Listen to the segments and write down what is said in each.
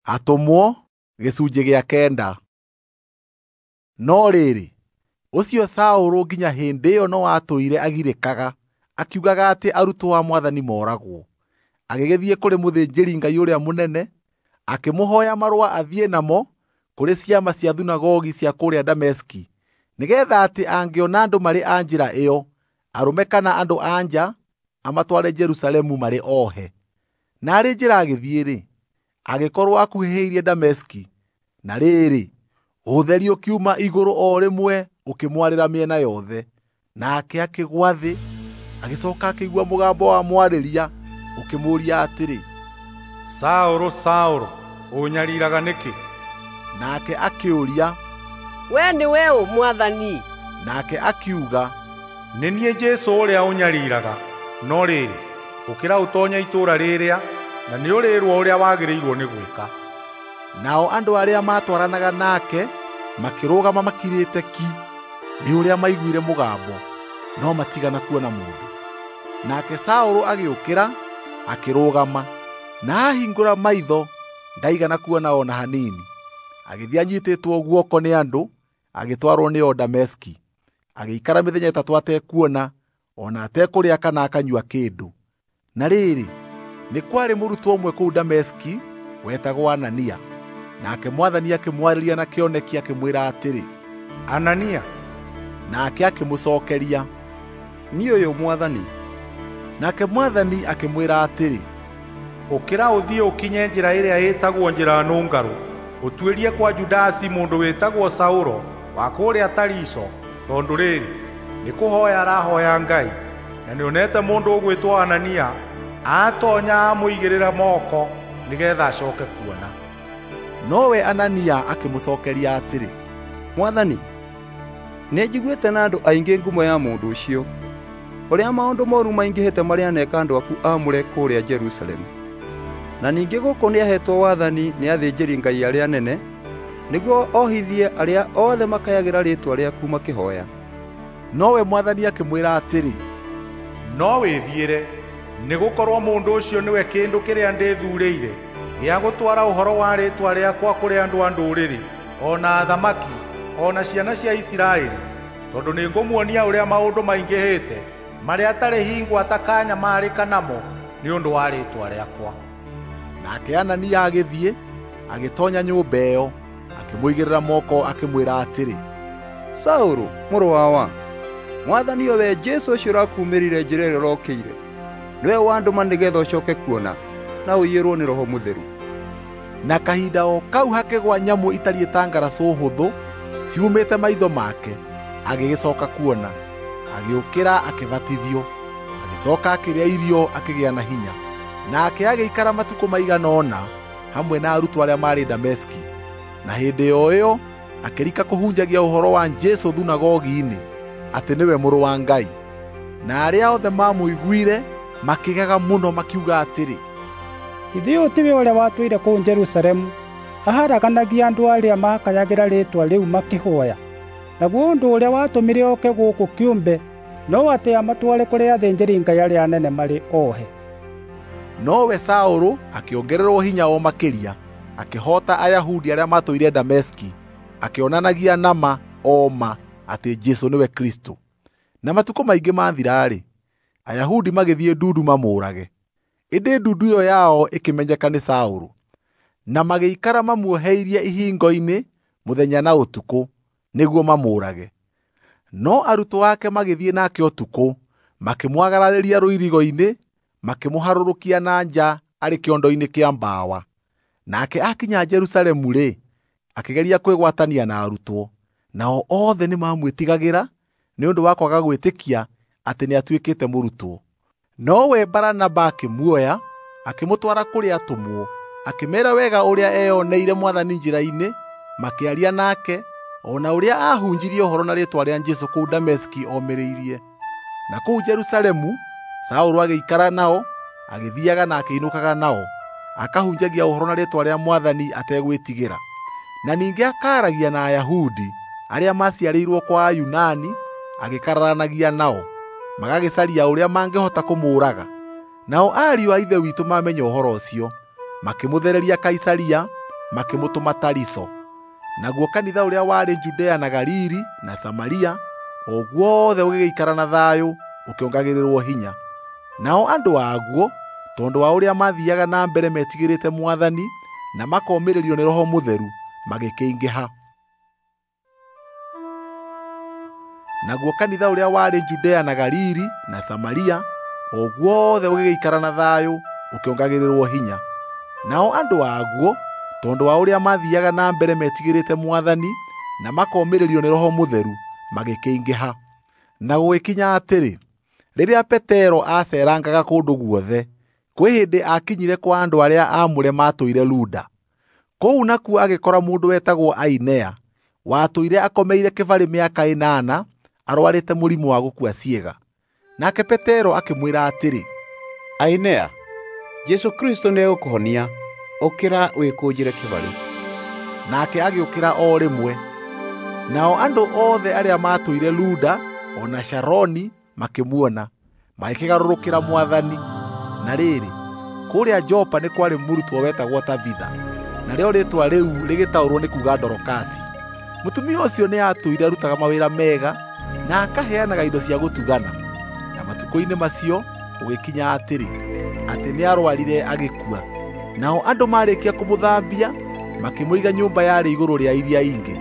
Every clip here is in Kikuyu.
Atũmwo gĩcunjĩ gĩa kenda. No rĩrĩ, ũcio Saũlũ nginya hĩndĩ ĩyo no atũire agirĩkaga akiugaga atĩ arutwo a Mwathani moragwo. Agĩgĩthiĩ kũrĩ mũthĩnjĩri-Ngai ũrĩa mũnene, akĩmũhooya marũa athiĩ namo kũrĩ ciama cia thunagogi cia kũrĩa Dameski, nĩgeetha atĩ angĩona andũ marĩ a Njĩra ĩyo, arũme kana andũ-a-nja, amatware Jerusalemu marĩ ohe. Na arĩ njĩra agĩthiĩ-rĩ, agĩkorwo akuhĩhĩirie Dameski, na rĩrĩ, ũtheri ũkiuma igũrũ o rĩmwe ũkĩmwarĩra mĩena yothe. Nake akĩgũa thĩ, agĩcooka akĩigua mũgambo wamwarĩria ũkĩmũũria atĩrĩ, Saũlũ, Saũlũ, ũũnyariiraga nĩkĩ? Nake akĩũria, "Wee nĩwe ũ, Mwathani?" Nake akiuga, "Nĩ niĩ Jesũ ũrĩa ũnyariiraga. No rĩrĩ, ũkĩra ũtoonye itũũra rĩrĩa, na nĩũrĩĩrwo ũrĩa wagĩrĩirwo nĩ gwĩka." Nao andũ arĩa maatwaranaga nake makĩrũgama makirĩte ki nĩ ũrĩa maiguire mũgambo, no matigana kuona mũndũ. Nake Saũlũ agĩũkĩra, akĩrũgama, na aahingũra maitho ndaigana kuona o na hanini. Agĩthiĩ anyiitĩtwo guoko nĩ andũ, agĩtwarwo nĩo Dameski. Agĩikara mĩthenya ĩtatũ atekuona, o na atekũrĩa kana akanyua kĩndũ. Na rĩrĩ, nĩ kwarĩ mũrutwo ũmwe kũu Dameski wetagwo Anania. Nake Mwathani akĩmwarĩria na kĩoneki akĩmwĩra atĩrĩ, "Anania." Nake akĩmũcookeria, "Niĩ ũyũ, Mwathani." Nake Mwathani akĩmwĩra atĩrĩ, "Ũkĩra ũthiĩ ũkinye njĩra ĩrĩa ĩtagwo Njĩra Nũngarũ, ũtuĩrie kwa Judasi mũndũ wĩtagwo Saũlũ wa kũrĩa Tariso, tondũ rĩrĩ, nĩkũhooya arahooya Ngai, na nĩonete mũndũ ũgwĩtwo Anania aatoonya amũigĩrĩra moko nĩgeetha acooke kuona." Nowe Anania akĩmũcookeria atĩrĩ, "Mwathani, nĩnjiguĩte na andũ aingĩ ngumo ya mũndũ ũcio, ũrĩa maũndũ mooru maingĩhĩte marĩa aneeka andũ aku aamũre kũrĩa Jerusalemu. Na ningĩ gũkũ nĩaheetwo wathani nĩ athĩnjĩri-Ngai arĩa anene nĩguo ohithie arĩa othe makayagĩra rĩĩtwa rĩaku makĩhooya." Nowe Mwathani akĩmwĩra atĩrĩ, "No wĩthiĩre, nĩgũkorwo mũndũ ũcio nĩwe kĩndũ kĩrĩa ndĩthuurĩire gĩa gũtwara ũhoro wa rĩĩtwa rĩakwa kũrĩ andũ a ndũrĩrĩ, o na athamaki, o na ciana cia Isiraeli, tondũ nĩngũmuonia ũrĩa maũndũ maingĩhĩte marĩa atarĩ hingo atakanyamarĩka namo nĩ ũndũ wa rĩĩtwa rĩakwa." Nake Anania agĩthiĩ, agĩtoonya nyũmba ĩyo, akĩmũigĩrĩra moko akĩmwĩra atĩrĩ, "Saũlũ, mũrũ wawa, Mwathani o we Jesũ ũcio ũrakuumĩrire njĩra ĩrĩa ũrokĩire, nĩwe wandũma nĩgeetha ũcooke kuona na ũiyũrwo nĩ Roho Mũtheru." Na kahinda o kau hakĩgwa nyamũ itariĩ ta ngaracũ hũthũ ciumĩte maitho make, agĩgĩcooka kuona. Agĩũkĩra akĩbatithio, agĩcooka akĩrĩa irio akĩgĩa na hinya. Nake agĩikara matukũ maigana ũna hamwe na arutwo arĩa maarĩ Dameski. Na hĩndĩ o ĩyo akĩrika kũhunjagia ũhoro wa Jesũ thunagogi-inĩ atĩ nĩwe Mũrũ wa Ngai. Na arĩa othe maamũiguire makĩgega mũno makiuga atĩrĩ, "Githĩ ũyũ tiwe ũrĩa watũire kũu Jerusalemu aharaganagia andũ arĩa maakayagĩra rĩĩtwa rĩu makĩhooya? Naguo ũndũ ũrĩa watũmire oke gũkũ kĩũmbe no atĩ amatware kũrĩ athĩnjĩri-Ngai arĩa anene marĩ ohe." Nowe Saũlũ akĩongererwo hinya o makĩria, akĩhoota Ayahudi arĩa maatũire Dameski, akĩonanagia na ma o ma atĩ Jesũ nĩwe Kristũ. Na matukũ maingĩ maathira-rĩ, Ayahudi magĩthiĩ ndundu mamũũrage. Ĩndĩ ndundu ĩyo yao ĩkĩmenyeka nĩ Saũlũ, na magĩikara mamuoheirie ihingo-inĩ mũthenya na ũtukũ nĩguo mamũũrage. No arutwo ake magĩthiĩ nake ũtukũ, makĩmwagararĩria rũirigo-inĩ, makĩmũharũrũkia na nja arĩ kĩondo-inĩ kĩa mbawa. Nake akinya Jerusalemu-rĩ, akĩgeria kwĩgwatania na arutwo, nao othe nĩmamwĩtigagĩra nĩ ũndũ wa kwaga gwĩtĩkia atĩ nĩatuĩkĩte mũrutwo. Nowe Baranaba akĩmuoya, akĩmũtwara kũrĩ atũmwo, akĩmeera wega ũrĩa eyoneire Mwathani njĩra-inĩ, makĩaria nake, o na ũrĩa aahunjirie ũhoro na rĩĩtwa rĩa Jesũ kũu Dameski omĩrĩirie. Na kũu Jerusalemu Saũlũ agĩikara nao, agĩthiiaga na akĩinũkaga nao, akahunjagia ũhoro na rĩĩtwa rĩa Mwathani ategwĩtigĩra. Na ningĩ akaaragia na Ayahudi arĩa maaciarĩirwo kwa Ayunani, agĩkararanagia nao, magagĩcaria ũrĩa mangĩhota kũmũũraga. Nao ariũ a Ithe witũ mamenya ũhoro ũcio, makĩmũthereria Kaisaria, makĩmũtũma Tariso. Naguo kanitha ũrĩa warĩ Judea na Galili na Samaria o guothe ũgĩgĩikara na thayũ ũkĩongagĩrĩrwo hinya. Nao andũ aguo, tondũ wa ũrĩa maathiaga na mbere metigĩrĩte Mwathani na makomĩrĩrio nĩ Roho Mũtheru, magĩkĩingĩha. Naguo kanitha ũrĩa warĩ Judea na Galili na Samaria o guothe ũgĩgĩikara na thayũ ũkĩongagĩrĩrwo hinya. Nao andũ aguo, tondũ wa ũrĩa maathiaga na mbere metigĩrĩte Mwathani na makomĩrĩrio nĩ Roho Mũtheru, magĩkĩingĩha. Na gũgĩkinya atĩrĩ, rĩrĩa Petero aaceerangaga kũndũ guothe, kwĩ hĩndĩ aakinyire kwa andũ arĩa aamũre maatũire Luda. Kũu nakuo agĩkora mũndũ wetagwo Ainea, watũire akomeire kĩbarĩ mĩaka 8 arwarĩte mũrimũ wa gũkua ciĩga. Nake Petero akĩmwĩra atĩrĩ, Ainea, Jesũ Kristũ nĩegũkũhonia, ũkĩra wĩkũnjĩre kĩbarĩ. Nake agĩũkĩra o rĩmwe. Nao andũ othe arĩa maatũire Luda o na Sharoni makĩmuona, magĩkĩgarũrũkĩra Mwathani. Na rĩrĩ, kũrĩa Jopa nĩ kwarĩ mũrutwo wetagwo Tabitha, narĩo rĩĩtwa rĩu rĩgĩtaũrwo nĩ kuuga Dorokasi. Mũtumia ũcio nĩ aatũire arutaga mawĩra mega na akaheanaga indo cia gũtugana. Na matukũ-inĩ macio gũgĩkinya atĩrĩ, atĩ nĩarwarire agĩkua. Nao andũ maarĩkia kũmũthambia, makĩmũiga nyũmba yarĩ igũrũ rĩa iria ingĩ.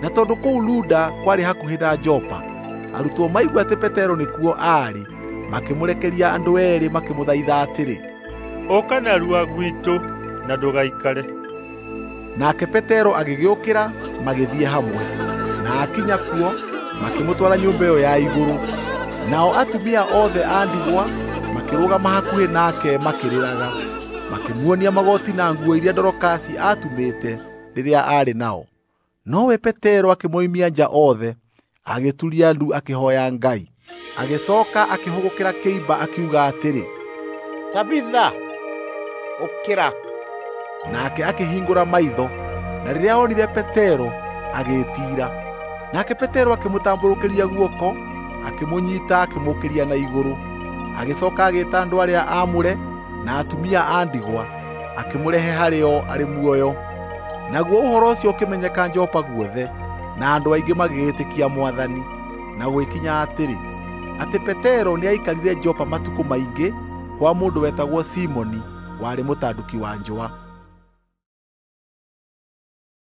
Na tondũ kũu Luda kwarĩ hakuhĩ na Jopa, arutwo maigua atĩ Petero nĩkuo aarĩ, makĩmũrekeria andũ eerĩ makĩmũthaitha atĩrĩ, Ũka narua gwitũ na ndũgaikare. Nake Petero agĩgĩũkĩra magĩthiĩ hamwe. Na akinya kuo, makĩmũtwara nyũmba ĩyo ya igũrũ. Nao atumia othe a ndigwa makĩrũgama hakuhĩ nake makĩrĩraga, makĩmuonia magoti na nguo iria Dorokasi aatumĩte rĩrĩa aarĩ nao. Nowe Petero akĩmoimia nja othe, agĩturia ndu akĩhooya Ngai. Agĩcooka akĩhũgũkĩra kĩimba akiuga atĩrĩ, Tabitha, ũkĩra. Nake akĩhingũra maitho, na rĩrĩa onire Petero agĩĩtiira. Nake Petero akĩmũtambũrũkĩria guoko, akĩmũnyiita akĩmũũkĩria na igũrũ. Agĩcooka agĩĩta andũ arĩa aamũre na atumia a ndigwa, akĩmũrehe harĩ o arĩ muoyo. Naguo ũhoro ũcio ũkĩmenyeka Jopa guothe, na andũ aingĩ magĩĩtĩkia Mwathani. Na gũgĩkinya atĩrĩ, atĩ Petero nĩaikarire Jopa matukũ maingĩ kwa mũndũ wetagwo Simoni, warĩ mũtanduki wa njũa.